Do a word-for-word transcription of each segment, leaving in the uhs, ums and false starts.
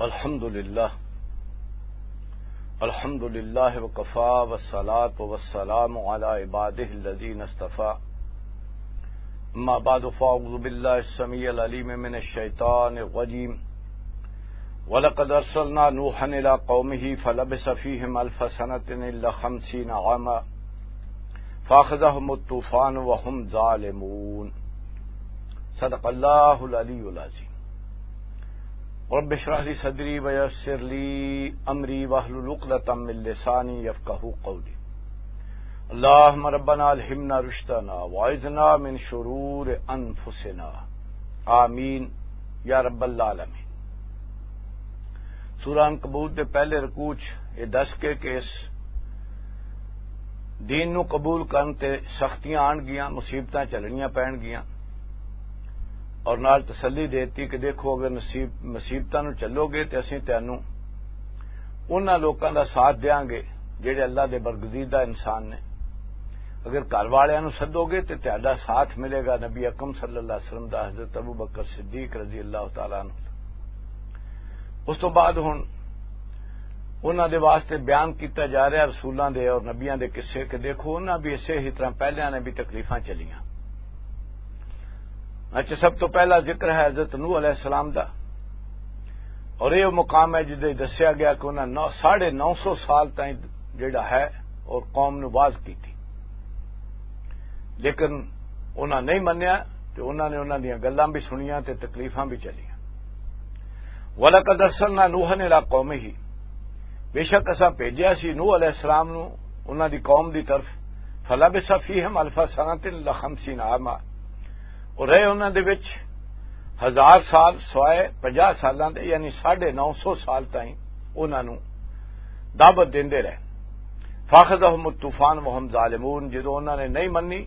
الحمد لله. الحمد لله وكفى، والصلاة والسلام على عباده الذين اصطفى. أما بعد، فأعوذ بالله السميع العليم من الشيطان الرجيم. ولقد أرسلنا نوحا إلى قومه فلبث فيهم ألف سنة إلا خمسين عاما فأخذهم الطوفان وهم ظالمون. صدق الله العلي العظيم. رب اشرح لي صدري ويسر لي أمري واحلل عقدة من لساني يفقهوا قولي. اللهم ربنا ألهمنا رشدنا وأعذنا من شرور أنفسنا. آمين يا رب العالمين. سورہ عنکبوت دے پہلے رکوع چ یہ دس کے کہ اس دین نو قبول کرن تے سختیاں آن گیاں، مصیبتاں چلنیاں پین گیاں، اور نال تسلی دیتی کہ دیکھو، اگر نصیب، مصیبتاں نو چلو گے تے اسیں تینوں انہاں لوکاں دا ساتھ دیاں گے جڑے اللہ دے برگزیدہ انسان نے۔ اگر گھر والیاں نو سدو گے تے تہاڈا ساتھ ملے گا۔ نبی اکرم صلی اللہ علیہ وسلم دا حضرت ابو بکر صدیق رضی اللہ تعالیٰ عنہ۔ اس تو بعد ہن انہاں دے واسطے بیان کیتا جا رہا ہے رسولاں دے اور نبیاں دے قصے کہ دیکھو، انہاں بھی اسے ہی طرح پہلیاں نے بھی تکلیفاں چلیاں۔ اچھا، سب تو پہلا ذکر ہے حضرت نوح علیہ السلام دا، اور یہ مقام ہے جدے دسیا گیا کہ انہاں نو، ساڑھے نو سو سال تائیں جڑا ہے اور قوم نو باز کیتی، لیکن انہاں نہیں منیا، تے انہاں نے انہاں دیاں گلاں بھی سنیاں تے تکلیفاں بھی چلیاں۔ وَلَقَدْ أَرْسَلْنَا نُوحًا إِلَىٰ قَوْمِهِ، بے شک اساں بھیجیا سی نوح علیہ السلام نو انہاں دی قوم دی طرف، فَلَبِثَ فِيهِمْ أَلْفَ سَنَةٍ إِلَّا خَمْسِينَ عَامًا، اور رہے انہاں دے وچ ہزار سال سوائے پنجاہ سالاں دے، یعنی ساڑھے نو سو سال تائیں انہاں نو دعوت دیندے رہے۔ فَأَخَذَهُمُ الطُّوفَانُ وَهُمْ ظَالِمُونَ، جدوں انہاں نے نہیں منی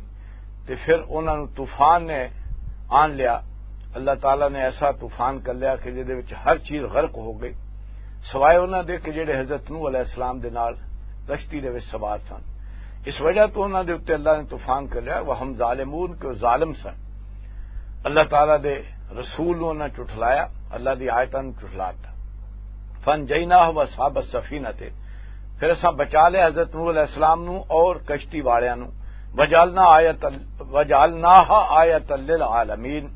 تے پھر انہاں نوں طوفان نے آن لیا۔ اللہ تعالیٰ نے ایسا طوفان کر لیا کہ جدے وچ ہر چیز غرق ہو گئی، سوائے انہاں دے کہ جڑے حضرت نوح علیہ السلام دے نال کشتی دے وچ سوار سن۔ اس وجہ تو انہاں دے اُتے اللہ نے طوفان کر لیا، وَهُمْ ظَالِمُونَ، کہ وہ ظالم سن۔ اللہ تعالیٰ دے رسول نوں انہاں جھٹلایا، اللہ دی آیتاں نوں جھٹلاتا۔ فَأَنْجَيْنَاهُ وَأَصْحَابَ السَّفِينَةِ، پھر اساں بچا لیا حضرت نوح علیہ السلام نوں اور کشتی والیاں نوں۔ وَجَعَلْنَا آيَةً، وَجَعَلْنَاهَا آيَةً لِلْعَالَمِينَ،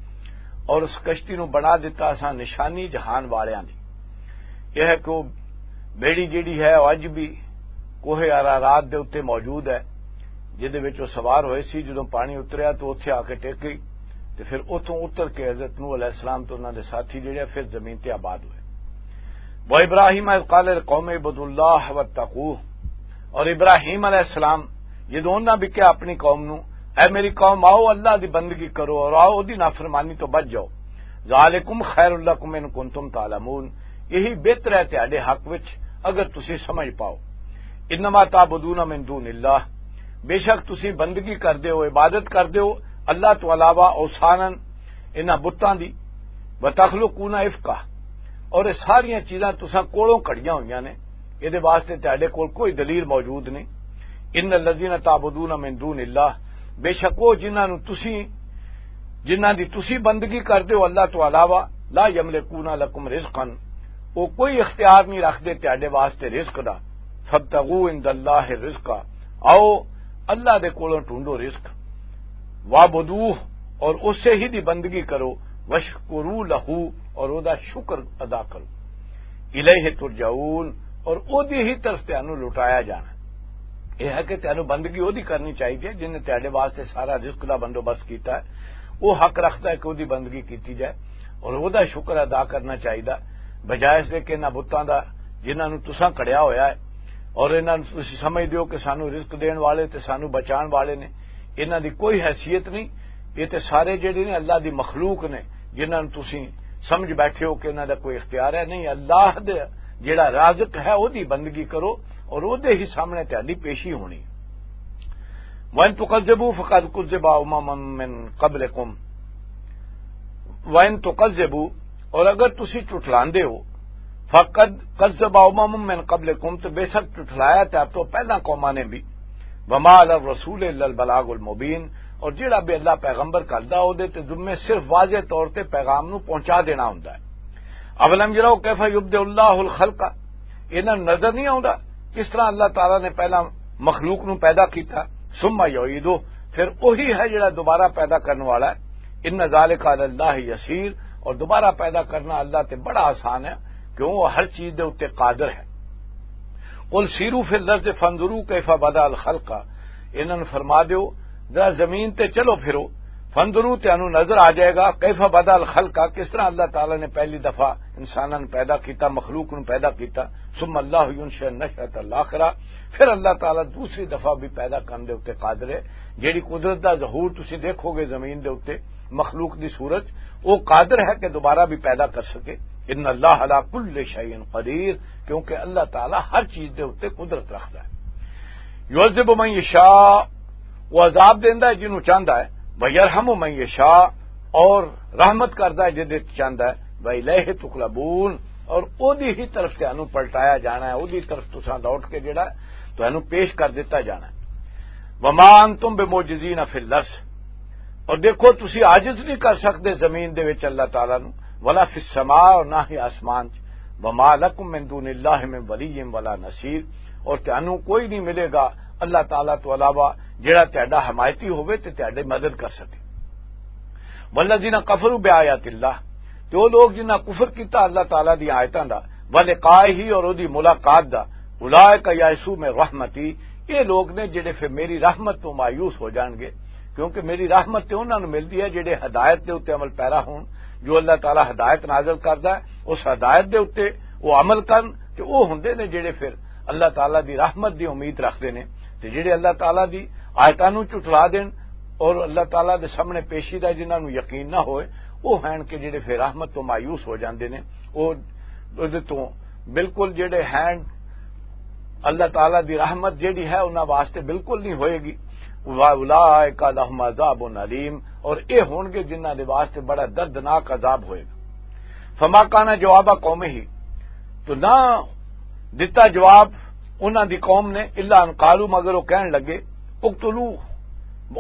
اور اس کشتی نوں بنا دیتا اساں نشانی جہان والیاں دی۔ یہ ہے کہ وہ بیڑی جیڑی ہے، وہ اج بھی کوہ ارارات دے اُتے موجود ہے، جدے وچ وہ سوار ہوئے سی۔ جدوں پانی اتریا تو اتھے آ کے ٹک گئی، تے پھر اتھوں اتر کے حضرت نوح علیہ السلام تے انہاں دے ساتھی جڑے پھر زمین تے آباد ہوئے۔ وَإِبْرَاهِيمَ إِذْ قَالَ لِقَوْمِهِ اعْبُدُوا اللَّهَ وَاتَّقُوهُ، اور ابراہیم علیہ السلام جدوں انہاں بھی کہا اپنی قوم نو، "اے میری قوم، آؤ اللہ دی بندگی کرو اور آؤ اودی نافرمانی تو بچ جاؤ۔ ذَٰلِكُمْ خَيْرٌ لَّكُمْ إِن كُنتُمْ تَعْلَمُونَ، یہی بہتر ہے تہاڈے حق وچ اگر تسی سمجھ پاؤ۔ إِنَّمَا تَعْبُدُونَ مِن دُونِ اللَّهِ، بے شک تسی بندگی کردے ہو، عبادت کردے ہو اللہ تو علاوہ اوثانن، انہاں بتاں دی، وَتَخْلُقُونَ إِفْكًا، اور یہ ساریاں چیزاں تساں کولوں کھڑیاں ہوئیاں نے، اے دے واسطے تہاڈے کول کوئی دلیل موجود نہیں۔ إِنَّ الَّذِينَ تَعْبُدُونَ مِن دُونِ اللَّهِ، بے شک وہ جنہاں نوں تسی، جنہاں دی تسی بندگی کردے ہو اللہ تو علاوہ، لَا يَمْلِكُونَ لَكُمْ رِزْقًا، وہ کوئی اختیار نہیں رکھدے تہاڈے واسطے رزق دا۔ فَابْتَغُوا عِندَ اللَّهِ الرِّزْقَ، آؤ اللہ دے کولوں ڈھونڈو رزق۔ وَاعْبُدُوهُ، اور اسے ہی دی بندگی کرو۔ وَاشْكُرُوا لَهُ، اور او دا شکر ادا کرو۔ إِلَيْهِ تُرْجَعُونَ، اور او دی ہی طرف تانوں لٹایا جانا۔ یہ ہے کہ تانوں بندگی او دی کرنی چاہیے جن نے تہاڈے واسطے سارا رزق دا بندوبست کیتا ہے۔ وہ حق رکھدا ہے کہ او دی بندگی کیتی جائے اور او دا شکر ادا کرنا چاہیے، بجائے اس دے کہ انہاں بتاں دا جنہاں نوں تساں کھڑیا ہویا ہے اور انہاں نوں تسی سمجھ دیو کہ سانوں رزق دین والے تے سانوں بچان والے نے، انہاں دی کوئی حیثیت نہیں۔ یہ تے سارے جڑے نے اللہ دی مخلوق نے، جنہاں نوں تسی سمجھ بیٹھے ہو کہ انہاں دا کوئی اختیار ہے نہیں۔ اللہ دے جڑا رازق ہے، او دی بندگی کرو اور او دے ہی سامنے تہاڈی پیشی ہونی۔ وَإِن تُكَذِّبُوا فَقَدْ كُذِّبَ أُمَمٌ مِّن قَبْلِكُمْ، وَإِن تُكَذِّبُوا، اور اگر تسی جھٹلاندے ہو، فَقَدْ كَذَّبَ أُمَمٌ مِّن قَبْلِكُمْ، تو بے شک جھٹلایا تے آپ تو پہلا قوماں نے بھی۔ وَمَا عَلَى الرَّسُولِ إِلَّا الْبَلَاغُ الْمُبِينُ، اور جڑا بھی اللہ پیغمبر کردا، او دے تے ذمے صرف واضح طور تے پیغام نو پہنچا دینا ہوندا ہے۔ اولم یروا کیف یبدئ اللہ الخلق، انہاں نوں نظر نہیں آوندا کس طرح اللہ تعالیٰ نے پہلا مخلوق نوں پیدا کیتا؟ ثم یعیدہ، پھر وہی ہے جڑا دوبارہ پیدا کرنے والا ہے۔ ان ذالک علی اللہ یسیر، اور دوبارہ پیدا کرنا اللہ تے بڑا آسان ہے، کیوں وہ ہر چیز دے اُتے قادر ہے۔ قل سیروا فی الارض فانظروا کیف بدأ الخلق، انہاں نوں فرما دیو، ذرا زمین تے چلو پھرو، فانظروا، تانوں نظر آ جائے گا، کیف بدأ الخلق، کس طرح اللہ تعالیٰ نے پہلی دفعہ انساناں نوں پیدا کیتا، مخلوق نوں پیدا کیتا۔ ثم اللہ ینشئ النشأۃ الآخرۃ، پھر اللہ تعالیٰ دوسری دفعہ بھی پیدا کرن دے اُتے قادر ہے۔ جیڑی قدرت دا ظہور تسی دیکھو گے زمین دے اُتے، مخلوق دی صورت، وہ قادر ہے کہ دوبارہ بھی پیدا کر سکے۔ ان اللہ علی کل شیء قدیر، کیونکہ اللہ تعالیٰ ہر چیز دے اُتے قدرت رکھدا ہے۔ یعذب من یشاء، وہ عذاب دیندا ہے جنوں چاہندا ہے، ویرحم من یشاء، اور رحمت کردا ہے جدے چاہندا ہے، وإلیہ تقلبون، اور اودی ہی طرف تانوں پلٹایا جانا ہے، اودی طرف تساں لوٹ کے جڑا ہے تانوں پیش کر دتا جانا ہے۔ وما انتم بمعجزین فی الارض، اور دیکھو تسی عاجز نہیں کر سکتے زمین دے وچ اللہ تعالیٰ نو، ولا فی السماء، اور نہ ہی آسمان چ، وما لکم من دون اللہ من ولی ولا نصیر، اور تانوں کوئی نہیں ملے گا اللہ تعالیٰ تو علاوہ جڑا تہاڈا حمایتی ہوئے تے تہاڈی مدد کر سکے۔ والذین کفروا بآیات اللہ، تے وہ لوگ جنہاں کفر کیتا اللہ تعالیٰ دی آیتاں دا، ولقائہ، اور اودی ملاقات دا، اولئک یئسوا من رحمتی، یہ لوگ نے جڑے پھر میری رحمت تو مایوس ہو جان گے، کیونکہ میری رحمت تے انہاں نوں ملدی ہے جڑے ہدایت دے اُتے عمل پیرا ہون۔ جو اللہ تعالیٰ ہدایت نازل کردا ہے، اس ہدایت دے اُتے وہ عمل کرن، تے وہ ہوندے نے جڑے پھر اللہ تعالیٰ دی رحمت دی امید رکھدے نے، تے جڑے اللہ تعالیٰ دی آیتاں نوں جھٹلا دین اور اللہ تعالیٰ دے سامنے پیشی دا جنہاں نوں یقین نہ ہوئے، وہ ہن کہ جڑے پھر رحمت تو مایوس ہو جاندے نے۔ وہ اودے تو بالکل جڑے ہن، اللہ تعالیٰ دی رحمت جڑی ہے انہاں واسطے بالکل نہیں ہوئے گی۔ واولئک لہم عذاب علیم، اور اے ہون گے جنہاں دے واسطے بڑا دردناک عذاب ہوئے گا۔ فما کان جواب قومہ، تو نہ دتا جواب انہاں دی قوم نے، الا ان قالوا، مگر وہ کہن لگے، اقتلوہ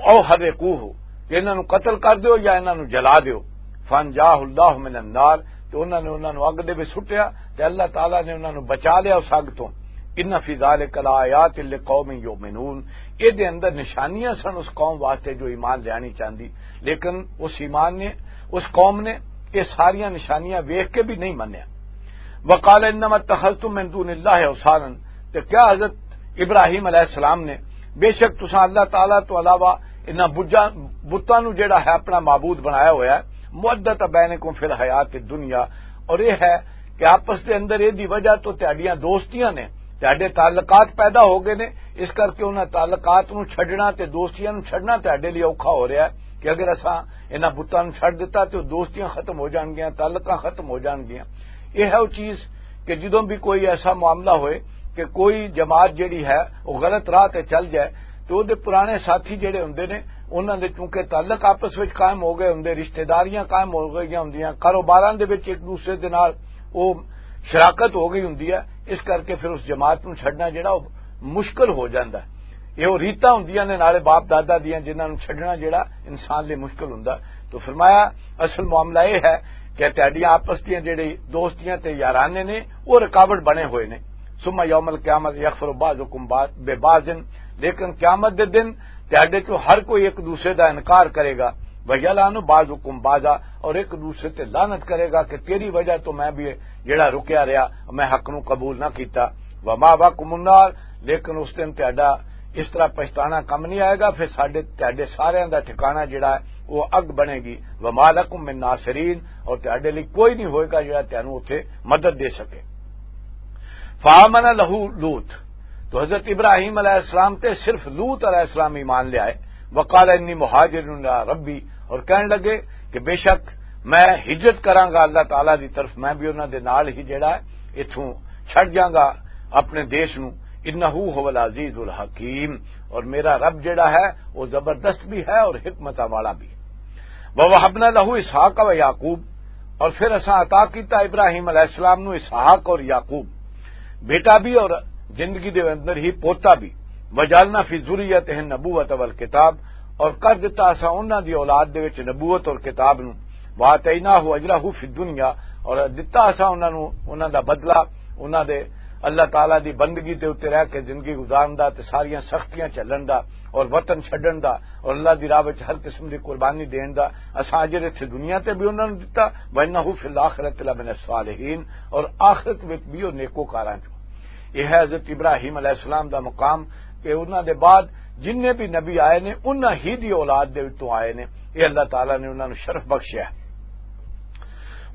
او حرقوہ، کہ انہاں نوں قتل کر دیو یا انہاں نوں جلا دیو۔ فانجاہ اللہ من النار، تو انہاں نے انہاں نوں اگ دے وچ سٹیا، تے اللہ تعالیٰ نے انہاں نوں بچا لیا اس اگ تو۔ ان فی ذلک لآیات لقوم یؤمنون، اے دے اندر نشانیاں سن اس قوم واسطے جو ایمان لیانی چاہندی، لیکن اس ایمان نے، اس قوم نے یہ ساریاں نشانیاں ویکھ کے بھی نہیں منیا۔ وقال انما اتخذتم من دون اللہ اوثانا، تے کیا حضرت ابراہیم علیہ السلام نے، بے شک تساں اللہ تعالیٰ تو علاوہ انہاں بجاں، بتاں نوں جڑا ہے اپنا معبود بنایا ہویا ہے، مودۃ بینکم فی الحیات الدنیا، اور یہ ہے کہ آپس دے اندر یہ دی وجہ تو تہاڈیاں دوستیاں نے، تہاڈے تعلقات پیدا ہو گئے نے، اس کر کے انہاں تعلقات نوں چھڈنا تے دوستیاں نوں چھڈنا تہاڈے لئی اوکھا ہو رہیا ہے کہ اگر اساں انہاں بتاں نوں چھڈ دتا تے او دوستیاں ختم ہو جان گیاں، تعلقاں ختم ہو جان گیاں۔ یہ ہے وہ چیز کہ جدوں بھی کوئی ایسا معاملہ ہوئے کہ کوئی جماعت جڑی ہے وہ غلط راہ تے چل جائے، تو وہ دے پرانے ساتھی جڑے ہوندے نے، انہاں دے چونکہ تعلق آپس وچ قائم ہو گئے ہوندے، رشتہ داریاں قائم ہو گئیاں ہوندیاں، کاروباراں دے وچ ایک دوسرے دے نال وہ شراکت ہو گئی ہوندی ہے، اس کر کے پھر اس جماعت نوں چھڈنا جڑا وہ مشکل ہو جاندا ہے۔ یہ وہ ریتاں ہوندیاں نے نالے باپ دادا دیاں، جنہاں نوں چھڈنا جڑا انسان لئی مشکل ہوندا۔ تو فرمایا، اصل معاملہ یہ ہے کہ تہاڈیاں آپس دیاں جڑی دوستیاں تے یارانے نے، وہ رکاوٹ بنے ہوئے نے۔ ثم یوم القیامت یکفر بعضکم بعض، ببعض، لیکن قیامت دے دن تہاڈے چوں ہر کوئی ایک دوسرے دا انکار کرے گا۔ ویلعن بعضکم بعضا، اور ایک دوسرے تے لعنت کرے گا کہ تیری وجہ تو میں بھی جڑا رکیا رہیا، میں حق نوں قبول نہ کیتا۔ ومأواکم النار، لیکن اس دن تہاڈا اس طرح پچھتانا کم نہیں آئے گا، پھر ساڈے، تہاڈے ساریاں دا ٹھکانہ جڑا ہے، وہ اگ بنے گی۔ وما لکم من ناصرین، اور تہاڈے لئی کوئی نہیں ہوئے گا جڑا تہانوں اتھے مدد دے سکے۔ فآمن لہ لوط، تو حضرت ابراہیم علیہ السلام تے صرف لوط علیہ السلام ایمان لے آئے۔ وقال انی مہاجر الی ربی، اور کہن لگے کہ بے شک میں ہجرت کراں گا اللہ تعالیٰ دی طرف، میں بھی انہاں دے نال ہی جڑا ہے اتھوں چھڈ جاں گا اپنے دیش نوں۔ انہ ھو العزیز الحکیم، اور میرا رب جڑا ہے وہ زبردست بھی ہے اور حکمتاں والا بھی۔ ووہبنا لہ اسحاق و یعقوب، اور پھر اساں عطا کیتا ابراہیم علیہ السلام نو اسحاق اور یعقوب، بیٹا بھی اور زندگی دے اندر ہی پوتا بھی۔ وجعلنا فی ذریتہ النبوۃ والکتاب، اور کر دتا اساں انہاں دی اولاد دے وچ نبوت اور کتاب نو۔ وآتیناہ اجرہ فی الدنیا، اور دتا اساں انہاں نوں انہاں دا بدلہ، انہاں دے اللہ تعالیٰ دی بندگی دے اُتے رہ کے زندگی گزارن دا تے ساریاں سختیاں جھلن دا اور وطن چھڈن دا اور اللہ دی راہ وچ ہر قسم دی قربانی دین دا اساں اجر اتھے دنیا تے بھی انہاں نوں دتا۔ وانہ فی الآخرۃ لمن الصالحین، اور آخرت وچ بھی او نیکوکاراں چوں۔ یہ ہے حضرت ابراہیم علیہ السلام دا مقام کہ انہاں دے بعد جنہیں بھی نبی آئے نے، انہاں ہی دی اولاد دے وچوں آئے نے۔ یہ اللہ تعالیٰ نے انہاں نوں شرف بخشیا ہے۔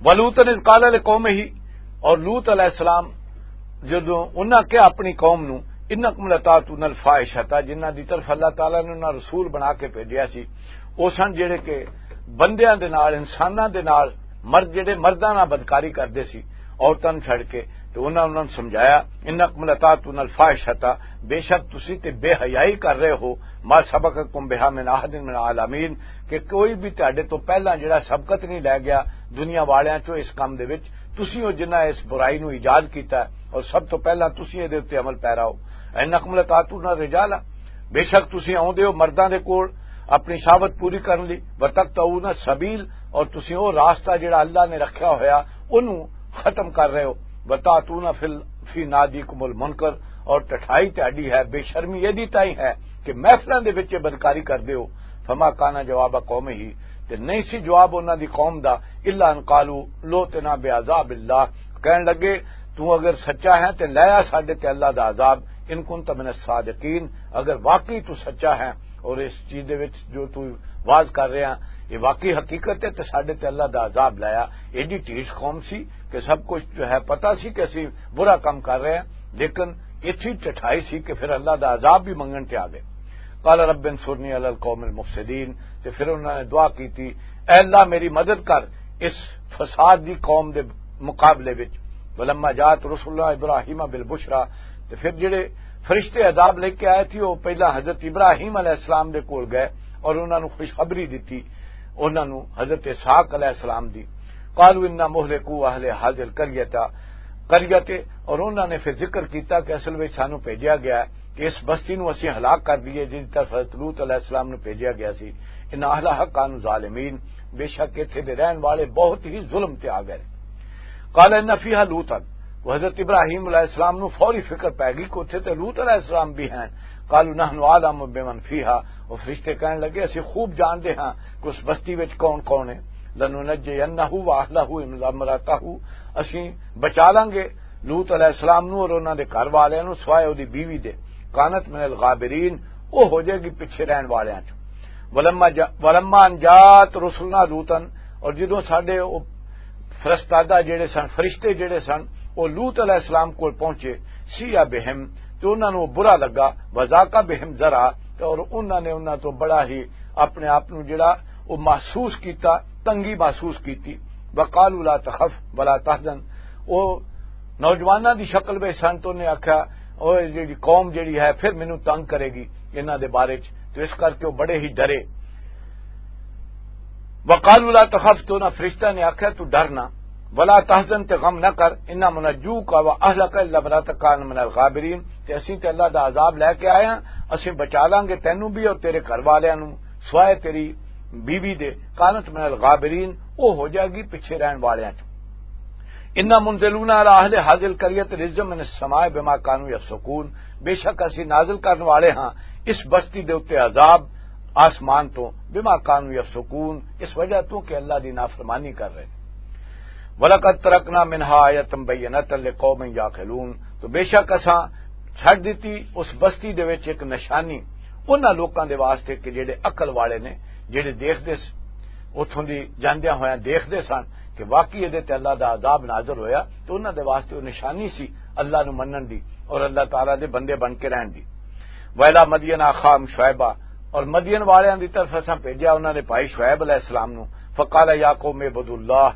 ولوطا اذ قال لقومہ، اور لوط علیہ السلام جدوں انہاں کہا اپنی قوم نوں، انکم لتاتون الفاحشۃ، جنہاں دی طرف اللہ تعالیٰ نے انہاں رسول بنا کے بھیجیا سی، او سن جڑے کہ بندیاں دے نال، انساناں دے نال، مرد جڑے مرداں نال بدکاری کردے سی، عورتاں نوں چھڈ کے، تے انہاں انہاں نوں سمجھایا، انکم لتاتون الفاحشۃ، بے شک تسی تے بے حیائی کر رہے ہو، ما سبقکم بہا من احد من العالمین، کہ کوئی بھی تہاڈے تو پہلا جڑا سبقت نہیں لے گیا دنیا والیاں چوں اس کام دے وچ۔ تسی ہو جنہاں اس برائی نوں ایجاد کیتا ہے اور سب تو پہلا تسی اے دے اُتے عمل پیرا ہو۔ انکم لتاتون الرجال، بے شک تسی آوندے ہو مرداں دے کول اپنی شہوت پوری کرن لئی، وتقطعون السبیل، اور تسی او راستہ جڑا اللہ نے رکھیا ہویا اونوں ختم کر رہے ہو، وتاتون فی ال-، فی نادیکم المنکر، اور ٹٹھائی تہاڈی ہے، بے شرمی ایدی تائیں ہے کہ محفلاں دے وچ بدکاری کردے ہو۔ فما کان جواب قومہ، تے نہیں سی جواب انہاں دی قوم دا، الا ان قالوا لوطنا بعذاب اللہ، کہن لگے، تو اگر سچا ہے تے لے آ ساڈے تے اللہ دا عذاب، ان کنت من الصادقین، اگر واقعی تو سچا ہے اور اس چیز دے وچ جو تو واز کر رہے ہیں یہ واقعی حقیقت ہے، تے ساڈے تے اللہ دا عذاب لایا۔ ایڈی ڈھیٹ قوم سی کہ سب کچھ جو ہے پتہ سی کہ اسی برا کام کر رہے ہیں، لیکن اتھی ٹٹھائی سی کہ پھر اللہ دا عذاب بھی منگن تے آ گئے۔ قال رب انصرنی علی القوم المفسدین، تے پھر انہوں نے دعا کی تھی، اے اللہ میری مدد کر اس فساد دی قوم دے مقابلے وچ۔ ولما جات رسول اللہ ابراہیم بالبشرا، تے پھر جڑے فرشتے عذاب لے کے آئے تھے وہ پہلا حضرت ابراہیم علیہ السلام دے کول گئے اور انہاں نوں خوشخبری دتی، انہاں نوں حضرت اسحاق علیہ السلام دی۔ قالوا انا مہلکو اہل ہذہ القریۃ، قریۃ، اور انہاں نے پھر ذکر کیتا کہ اصل وچ سانوں بھیجیا گیا ہے کہ اس بستی نوں اسی ہلاک کر دئیے جس طرف حضرت لوط علیہ السلام نوں بھیجیا گیا سی۔ ان اہلہا کانوا ظالمین، بے شک اتھے دے رہن والے بہت ہی ظلم تے آ گئے۔ قال ان فیہا لوطا، وہ حضرت ابراہیم علیہ السلام نوں فوری فکر پے گئی کہ اتھے تے لوط علیہ السلام بھی ہیں۔ قالوا نحن اعلم بمن فیہا، وہ فرشتے کہن لگے، اسی خوب جانتے ہاں کہ اس بستی وچ کون کون ہے۔ لننجینہ واہلہ الا امرأتہ، اسی بچا لیں گے لوط علیہ السلام نو اور انہاں دے گھر والیاں نو سوائے اودی بیوی دے، کانت من الغابرین، او ہو جائے گی پیچھے رہن والیاں چوں۔ ولما جا-، ولما ان جات رسلنا لوطا، اور جدوں ساڈے او فرستادہ جڑے سن، فرشتے جڑے سن، او لوط علیہ السلام کول پہنچے، سیئ بہم، تے انہاں نوں برا لگا، وذاق بہم ذرا، تے اور انہاں نے انہاں تو بڑا ہی اپنے آپ نوں جڑا او محسوس کیتا، تنگی محسوس کیتی۔ وقالوا لا تخف ولا تحزن، او نوجواناں دی شکل وچ سن، تو انہیں آکھیا، او جڑی قوم جڑی ہے پھر مینوں تنگ کرے گی انہاں دے بارے چ، تو اس کر کے او بڑے ہی ڈرے۔ وقالوا لا تخف، تو انہاں فرشتہ نے آکھیا تو ڈر نہ، ولا تحزن، تے غم نہ کر، انا منجوک و اہلک الا امرأتک کانت من الغابرین، تے اسیں تے اللہ دا عذاب لے کے آئے ہاں، اسیں بچا لانگے تینوں بھی اور تیرے گھر والیاں نوں، سوائے تیری بیوی دے، کانت من الغابرین، او ہو جائے گی پیچھے رہن والیاں چوں۔ انا منزلون علی اہل ہذہ القریۃ رجزا من السماء بما کانوا یفسقون، بے شک اسی نازل کرن والے ہاں اس بستی دے اُتے عذاب آسمان تو، بما کانوا یفسقون، اس وجہ تو کہ اللہ دی نافرمانی کر رہے۔ ولقد ترکنا منها آیة بینة لقوم یعقلون، تو بے شک اساں چھڈ دتی اس بستی دے وچ ایک نشانی انہاں لوکاں دے واسطے کہ جڑے عقل والے نے، جڑے دیکھدے س-، اتھوں دی جاندیاں ہویاں دیکھدے سن کہ واقعی ادے تے اللہ دا عذاب نازل ہویا، تو انہاں دے واسطے او نشانی سی اللہ نو منن دی اور اللہ تعالیٰ دے بندے بن کے رہن دی۔ وَإِلَىٰ مَدْيَنَ أَخَاهُمْ شُعَيْبًا، اور مدین والیاں دی طرف اساں بھیجیا انہاں نے بھائی شعیب علیہ السلام نو۔ فَقَالَ يَا قَوْمِ اعْبُدُوا اللَّهَ،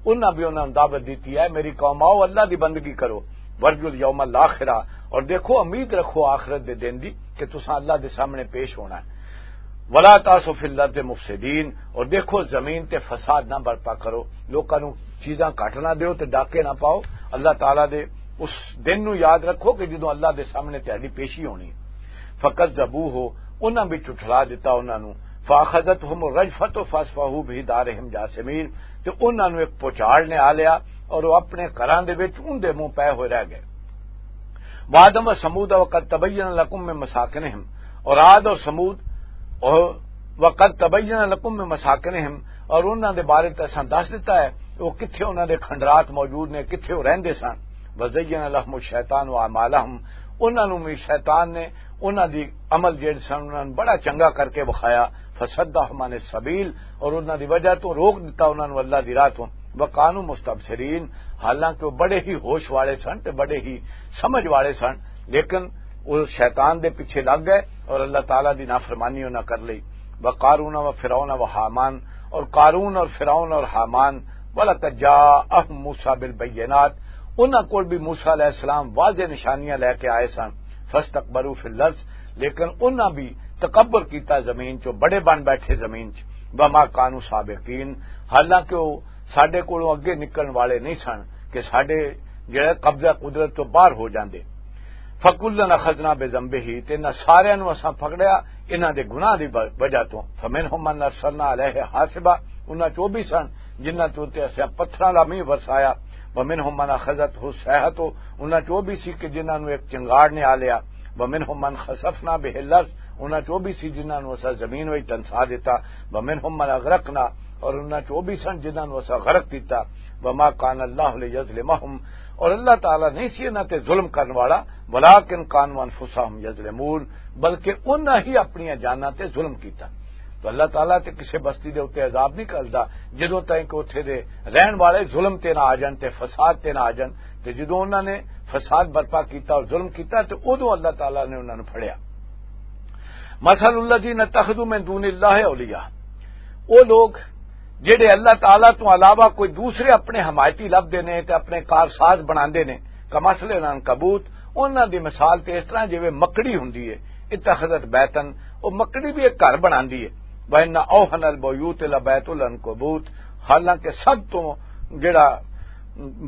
انہاں بھی انہاں نوں دعوت دیتی ہے، میری قوم آؤ اللہ دی بندگی کرو، وَارْجُوا الْيَوْمَ الْآخِرَ، اور دیکھو امید رکھو آخرت دے دن دی کہ تساں اللہ دے سامنے پیش ہونا ہے۔ وَلَا تَعْثَوْا فِي الْأَرْضِ مُفْسِدِينَ، اور دیکھو زمین تے فساد نہ برپا کرو، لوکاں نوں چیزاں گھٹ نہ دیو تے ڈاکے نہ پاؤ۔ اللہ تعالیٰ دے اس دن نوں یاد رکھو کہ جدوں اللہ دے سامنے تہاڈی پیشی ہونی۔ فَكَذَّبُوهُ، انہاں بھی جھٹلا دتا انہاں نوں۔ فاخذتهم الرجفة فاصبحوا بِدَارِهِمْ جَاثِمِينَ، تے انہاں نوں ایک پچھاڑ نے آ لیا اور وہ اپنے گھراں دے وچ اون دے منہ پے ہوئے رہ گئے۔ وعدم و ثمود وقد تبین لکم من مساکنہم، اور عاد اور ثمود، اور وقد تبین لکم من مساکنہم، اور انہاں دے بارے تے اساں دس دتا ہے کہ وہ کتھے انہاں دے کھنڈرات موجود نے، کتھے وہ رہندے سن۔ وزین لہم الشیطان اعمالہم، انہاں نوں بھی شیطان نے انہاں دی عمل جیڑے سن انہاں نوں بڑا چنگا کر کے وکھایا۔ فصدہم عن السبیل، اور انہاں دی وجہ تو روک دتا انہاں نوں اللہ دی راہ تو۔ وکانوا مستبصرین، حالانکہ وہ بڑے ہی ہوش والے سن تے بڑے ہی سمجھ والے سن، لیکن وہ شیطان دے پیچھے لگ گئے اور اللہ تعالیٰ دی نافرمانی انہاں کر لئی۔ وقارون و فرعون و حامان، اور قارون اور فرعون اور حامان، ولقد جاءہم موسیٰ بالبینات، انہاں کول بھی موسیٰ علیہ السلام واضح نشانیاں لے کے آئے سن۔ فاستکبروا فی الارض، لیکن انہاں بھی تکبر کیتا زمین چوں، بڑے بن بیٹھے زمین چ۔ وما کانوا سابقین، حالانکہ وہ ساڈے کولوں اگے نکلن والے نہیں سن کہ ساڈے جڑے قبضہ قدرت تو باہر ہو جاندے۔ فکلن اخذنا بذنبہ، تے انہاں ساریاں نوں اساں پکڑیا انہاں دے گناہ دی ب-، وجہ تو۔ فمنہم من ارسلنا علیہ حاصبا، انہاں چوں بھی سن جنہاں تے اساں پتھراں دا مینہ برسایا۔ ومنہم من اخذتہ الصیحۃ، انہاں چوں بھی سی کہ جنہاں نوں ایک چنگاڑ نے آ لیا۔ ومنہم من خسفنا بہ الارض، انہاں چوں بھی سی جنہاں نوں اساں زمین وچ ڈنسا دتا۔ ومنہم من اغرقنا، اور انہاں چوں بھی سن جنہاں نوں اساں غرق کیتا۔ وما کان اللہ لیظلمہم، اور اللہ تعالیٰ نہیں سی انہاں تے ظلم کرن والا، ولکن کانوا انفسہم یظلمون، بلکہ انہاں ہی اپنی جاناں تے ظلم کیتا۔ تو اللہ تعالیٰ تے کسے بستی دے اُتے عذاب نہیں کردا جدوں تائیں کہ اُتھے دے رہن والے ظلم تے نہ آ جان تے فساد تے نہ آ جان۔ تے جدوں انہاں نے فساد برپا کیتا اور ظلم کیتا تے اودوں اللہ تعالیٰ نے انہاں نوں پھڑیا۔ مثل الذین اتخذوا من دون اللہ اولیاء، او لوگ جڑے اللہ تعالیٰ تو علاوہ کوئی دوسرے اپنے حمایتی لبھدے نے تے اپنے کارساز بناندے نے، کمثل العنکبوت، انہاں دی مثال تے اس طرح جویں مکڑی ہوندی ہے، اتخذت بیتن، او مکڑی بھی ایک گھر بناندی ہے۔ وَإِنَّ أَوْهَنَ الْبُيُوتِ لَبَيْتُ الْعَنْكَبُوتِ، حالانکہ سب تو جڑا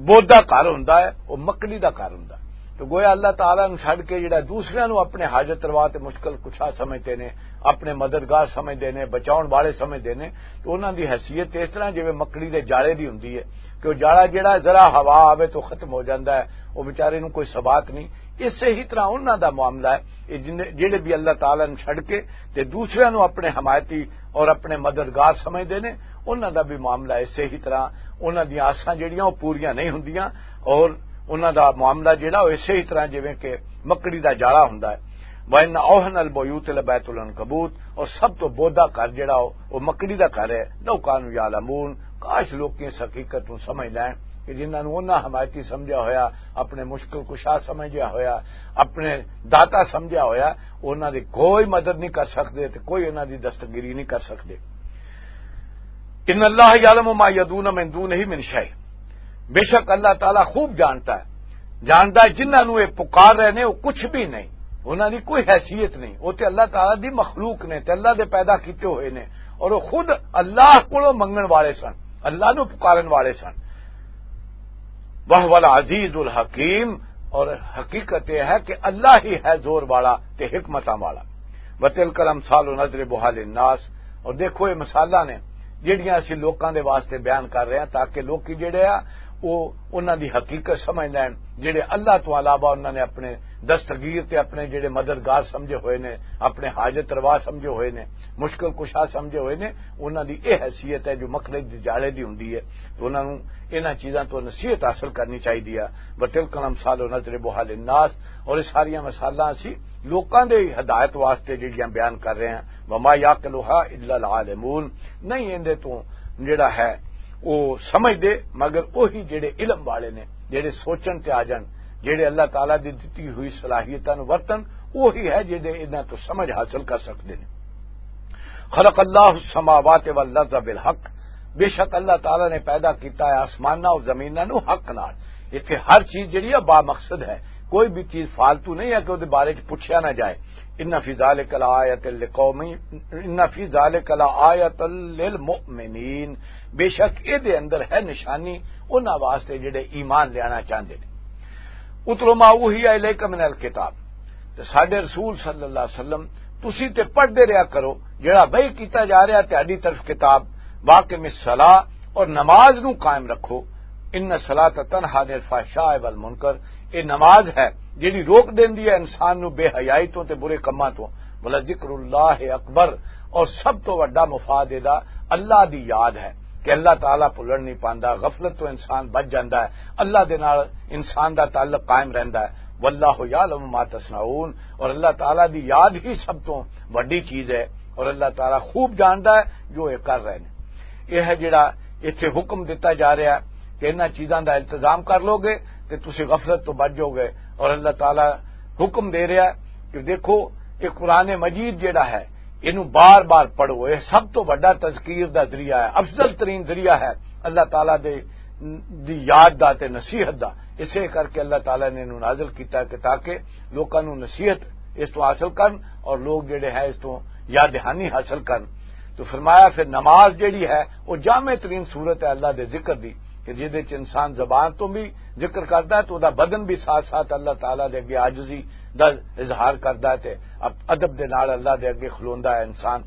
بودا گھر ہوندا ہے، او مکڑی دا گھر ہوندا ہے۔ تو گویا اللہ تعالیٰ نوں چھڈ کے جڑا دوسریاں نوں اپنے حاجت روا تے مشکل کشا سمجھدے نے، اپنے مددگار سمجھدے نے، بچاؤن والے سمجھدے نے، تو انہاں دی حیثیت اس طرح جویں مکڑی دے جالے دی ہوندی ہے کہ او جالا جڑا ذرا ہوا آوے تو ختم ہو جاندا ہے، او بیچارے نوں کوئی ثبات نہیں۔ اسے ہی طرح انہاں دا معاملہ ہے، اے جن-، جڑے بھی اللہ تعالیٰ نوں چھڈ کے تے دوسریاں نوں اپنے حمایتی اور اپنے مددگار سمجھدے نے، انہاں دا بھی معاملہ اسے ہی طرح، انہاں دیاں آساں جڑیاں او پوریاں نہیں ہوندیاں، اور انہاں دا معاملہ جڑا او اسے ہی طرح جویں کہ مکڑی دا جالا ہوندا ہے۔ وَإِنَّ أَوْهَنَ الْبُيُوتِ لَبَيْتُ الْعَنْكَبُوتِ، اور سب تو بودا گھر جڑا او، او مکڑی دا گھر ہے۔ لَوْ كَانُوا يَعْلَمُونَ، کاش لوکی اس حقیقت نوں سمجھ لین کہ جنہاں نوں انہاں حمایتی سمجھیا ہویا، اپنے مشکل کشا سمجھیا ہویا، اپنے داتا سمجھیا ہویا، انہاں دی کوئی مدد نہیں کر سکدے تے کوئی انہاں دی دستگیری نہیں کر سکدے۔ ان اللہ یعلم ما یدعون من دونہ من شیء، بے شک اللہ تعالیٰ خوب جانتا ہے، جانتا ہے جنہاں نوں یہ پکار رہے نے وہ کچھ بھی نہیں، انہاں دی کوئی حیثیت نہیں، وہ تے اللہ تعالیٰ دی مخلوق نے تے اللہ دے پیدا کیتے ہوئے نے، اور وہ خود اللہ کولوں منگن والے سن، اللہ نوں پکارن والے سن۔ وَهُوَ الْعَزِيزُ الْحَكِيمُ، اور حقیقت یہ ہے کہ اللہ ہی ہے زور والا تے حکمتاں والا۔ وَتِلْكَ الْأَمْثَالُ نَضْرِبُهَا لِلنَّاسِ، اور دیکھو یہ مثالاں نے جڑیاں اسی لوکاں دے واسطے بیان کر رہے ہیں تاکہ لوکی جڑے آ وہ انہاں دی حقیقت سمجھ لین، جڑے اللہ تو علاوہ انہاں نے اپنے دستگیر تے اپنے جڑے مددگار سمجھے ہوئے نے، اپنے حاجت روا سمجھے ہوئے نے، مشکل کشا سمجھے ہوئے نے، انہاں دی یہ حیثیت ہے جو مکڑی دی جالے دی ہوندی ہے۔ تو انہاں نوں انہاں چیزاں تو نصیحت حاصل کرنی چاہیے۔ وَتِلْكَ الْأَمْثَالُ نَضْرِبُهَا لِلنَّاسِ، اور یہ ساریاں مثالاں اسی لوکاں دے ہدایت واسطے جڑیاں بیان کر رہے ہیں۔ وَمَا يَعْقِلُهَا إِلَّا الْعَالِمُونَ، نہیں ایندے تو جڑا ہے وہ سمجھ دے مگر وہی جڑے علم والے نے، جڑے سوچن تے آ جان، جڑے اللہ تعالیٰ دی دتی ہوئی صلاحیتاں نوں ورتن، وہی ہے جڑے انہاں تو سمجھ حاصل کر سکدے نے۔ خلق اللہ السماوات والارض بالحق، بے شک اللہ تعالیٰ نے پیدا کیتا ہے آسماناں اور زمیناں نوں حق نال۔ اتھے ہر چیز جڑی ہے با مقصد ہے، کوئی بھی چیز فالتو نہیں ہے کہ اس بارے چ پوچھا نہ جائے۔ ان فی ذالک لآیۃ لقوم، ان فی ذالک لآیۃ للمؤمنین، بے شک اے دے اندر ہے نشانی انہاں واسطے جڑے ایمان لینا چاہندے نے۔ اتل ما اوحی الیک من الکتاب، تے ساڈے رسول صلی اللہ علیہ وسلم تسی تے پڑھدے رہیا کرو جڑا وحی کیتا جا رہا تہاڈی طرف کتاب، واقم الصلاۃ، اور نماز نو قائم رکھو، ان الصلاۃ تنہا عن الفحشاء والمنکر۔ یہ نماز ہے جڑی روک دیندی ہے انسان نو بے حیائی تو تے برے کماں تو۔ ولذکر اللہ اکبر، اور سب تو وڈا مفاد دا اللہ دی یاد ہے کہ اللہ تعالیٰ بھلن نہیں پاندا، غفلت تو انسان بچ جاندا ہے، اللہ دے نال انسان دا تعلق قائم رہندا ہے۔ واللہ یعلم ما تصنعون، اور اللہ تعالیٰ دی یاد ہی سب تو وڈی چیز ہے، اور اللہ تعالیٰ خوب جاندا ہے جو یہ کر رہے ہیں۔ یہ ہے جڑا ایتھے حکم دتا جا رہا ہے کہ انہاں چیزاں دا التزام کر لو گے تے تسی غفلت تو بچ جاؤ گے۔ اور اللہ تعالیٰ حکم دے رہا ہے کہ دیکھو، یہ قرآن مجید جڑا ہے، اینو بار بار پڑھو، یہ سب تو بڑا تذکیر دا ذریعہ ہے، افضل ترین ذریعہ ہے اللہ تعالیٰ دے، دی یاد دا تے نصیحت دا۔ اسے کر کے اللہ تعالیٰ نے اینو نازل کیتا کہ تاکہ لوکاں نو نصیحت اس تو حاصل کرن اور لوگ جڑے ہیں اس تو یاد دہانی حاصل کرن۔ تو فرمایا، پھر نماز جڑی ہے، وہ جامع ترین صورت ہے اللہ دے ذکر دی، کہ جہدے چ انسان زبان تو بھی ذکر کردا ہے تو دا بدن بھی ساتھ ساتھ اللہ تعالیٰ دے اگے عاجزی دا اظہار کردا ہے تے اب ادب دے نال اللہ دے اگے کھلوندا ہے انسان۔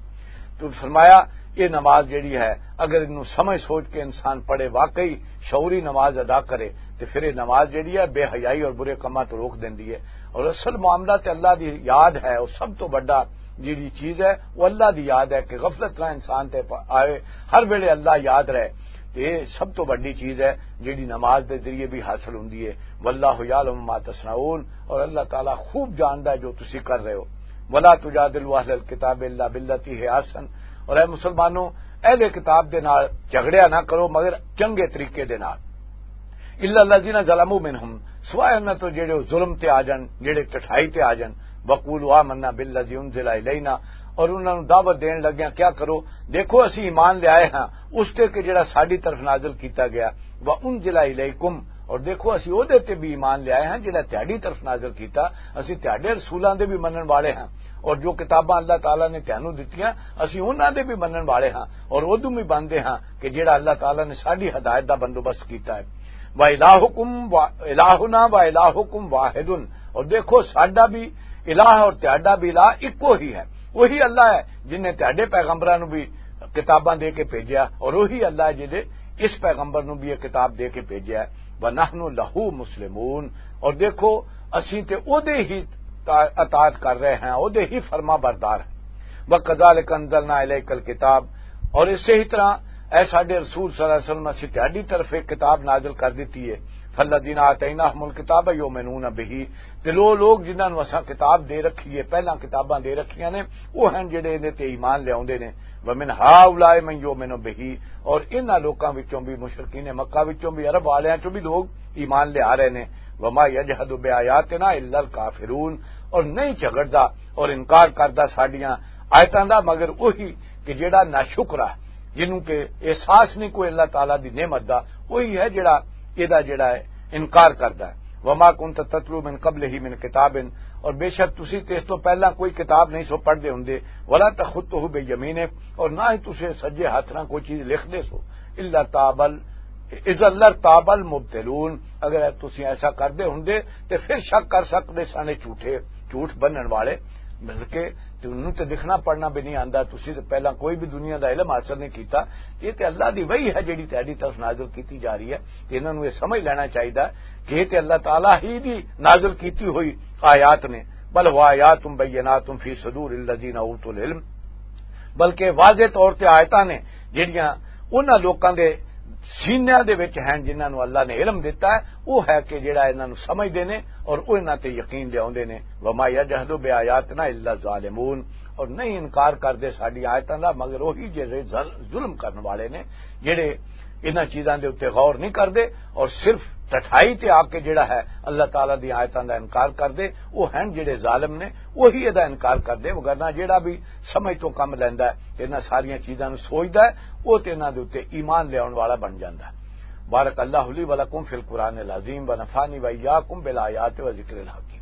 تو فرمایا، یہ نماز جڑی ہے، اگر انہوں سمجھ سوچ کے انسان پڑھے، واقعی شعوری نماز ادا کرے، تو پھر یہ نماز جڑی ہے بے حیائی اور برے کماں تو روک دیندی ہے۔ اور اصل معاملہ تے اللہ دی یاد ہے، وہ سب تو بڑا جڑی چیز ہے، وہ اللہ دی یاد ہے کہ غفلت نہ انسان تے پ-، آئے، ہر ویلے اللہ یاد رہے۔ تے یہ سب تو بڑی چیز ہے جڑی نماز دے ذریعے بھی حاصل ہوندی ہے۔ واللہ یعلم ما تصنعون، اور اللہ تعالیٰ خوب جاندا ہے جو تسی کر رہے ہو۔ ولا تجادلوا اہل الکتاب الا بالتی ہی احسن، اور اے مسلمانوں، اہل کتاب دے نال جھگڑیا نہ کرو مگر چنگے طریقے دے نال۔ الا الذین ظلموا منہم، سوائے انہاں تو جڑے ظلم تے آ جان، جڑے ٹٹھائی تے آ جان۔ وقولوا آمنا بالذی انزل الینا، اور انہاں نوں دعوت دین لگیاں کیا کرو، دیکھو اسی ایمان لے آئے ہاں اس تے کہ جڑا ساڈی طرف نازل کیتا گیا، وانزل الیکم، اور دیکھو اسی او دے تے بھی ایمان لے آئے ہاں جڑا تہاڈی طرف نازل کیتا۔ اسی تہاڈے رسولاں دے بھی منن والے ہاں، اور جو کتاباں اللہ تعالیٰ نے تہانوں دتیاں، اسی انہاں دے بھی منن والے ہاں، اور ادوں بھی بندے ہاں کہ جڑا اللہ تعالیٰ نے ساڈی ہدایت دا بندوبست کیتا ہے۔ و الہکم و الہنا و الہکم واحد، اور دیکھو ساڈا بھی الہ اور تہاڈا بھی الہ اکو ہی ہے۔ وہی اللہ ہے جن نے تہاڈے پیغمبراں نوں بھی کتاباں دے کے بھیجیا، اور وہی اللہ ہے جن نے اس پیغمبر نوں بھی یہ کتاب دے کے بھیجیا ہے۔ ونحن لہ مسلمون، اور دیکھو اسی تے او دے ہی تا-، اطاعت کر رہے ہیں، او دے ہی فرما بردار ہیں۔ وکذالک انزلنا الیک الکتاب، اور اسی ہی طرح اے ساڈے رسول صلی اللہ علیہ وسلم، اسی تہاڈی طرف ایک کتاب نازل کر دتی ہے۔ فالذین آتیناہم الکتاب یؤمنون بہ، تے لو لوگ جنہاں نوں اساں کتاب دے رکھی ہے، پہلاں کتاباں دے رکھیاں نے، وہ ہیں جڑے ایندے تے ایمان لے آوندے نے۔ ومن ہؤلاء من یؤمن بہ، اور انہاں لوکاں وچوں بھی، مشرکین مکہ وچوں بھی، عرب والیاں چوں بھی لوگ ایمان لے آ رہے نے۔ وما یجحد بآیاتنا الا الکافرون، اور نہیں جھگڑدا اور انکار کردا ساڈیاں آیتاں دا مگر وہی کہ جڑا ناشکر ہے، جنوں کہ احساس نہیں کوئی اللہ تعالیٰ دی نعمت دا، وہی ہے جڑا اے دا جڑا ہے انکار کردا ہے۔ وما کنت تتلو من قبلہ من کتاب، اور بے شک تسی تے اس تو پہلا کوئی کتاب نہیں سو پڑھدے ہوندے۔ ولا تخطہ بیمینک، اور نہ ہی تسی سجے ہاتھ نال کوئی چیز لکھدے سو۔ الا تابل، اذا لرتاب المبطلون، اگر تسی ایسا کردے ہوندے تے پھر شک کر سکدے سن جھوٹے، جھوٹ بنن والے۔ بلکہ تے انہوں تے لکھنا پڑھنا بھی نہیں آندا، تسی تے پہلا کوئی بھی دنیا دا علم حاصل نہیں کیتا۔ یہ تے اللہ دی وحی ہے جڑی تہاڈی طرف نازل کیتی جا رہی ہے، تے انہاں نوں یہ سمجھ لینا چاہیدا کہ یہ تے اللہ تعالیٰ ہی دی نازل کیتی ہوئی آیات نے۔ بل ہوا آیات بینات فی صدور الذین اوتوا العلم، بلکہ واضح طور تے آیتاں نے جڑیاں انہاں لوکاں دے سینیاں دے وچ ہیں جنہاں نوں اللہ نے علم دتا ہے، وہ ہے کہ جڑا انہاں نوں سمجھدے نے اور وہ انہاں تے یقین لے آوندے نے۔ وما یجحد بآیاتنا الا الظالمون، اور نہیں انکار کردے ساڈی آیتاں دا مگر وہی جڑے ظل-، ظلم کرن والے نے، جڑے انہاں چیزاں دے اُتے غور نہیں کردے اور صرف ٹٹھائی تے آ کے جڑا ہے اللہ تعالیٰ دی آیتاں دا انکار کردے، وہ ہیں جڑے ظالم نے، وہی ادا انکار کردے۔ وگرنہ جڑا بھی سمجھ تو کم لیندا ہے، انہاں ساریاں چیزاں نوں سوچدا ہے، وہ تے انہاں دے اُتے ایمان لے آون والا بن جاندا ہے۔ بارک اللہ لی و لکم فی القرآن العظیم و نفعنی و ایاکم بالآیات و ذکر الحکیم۔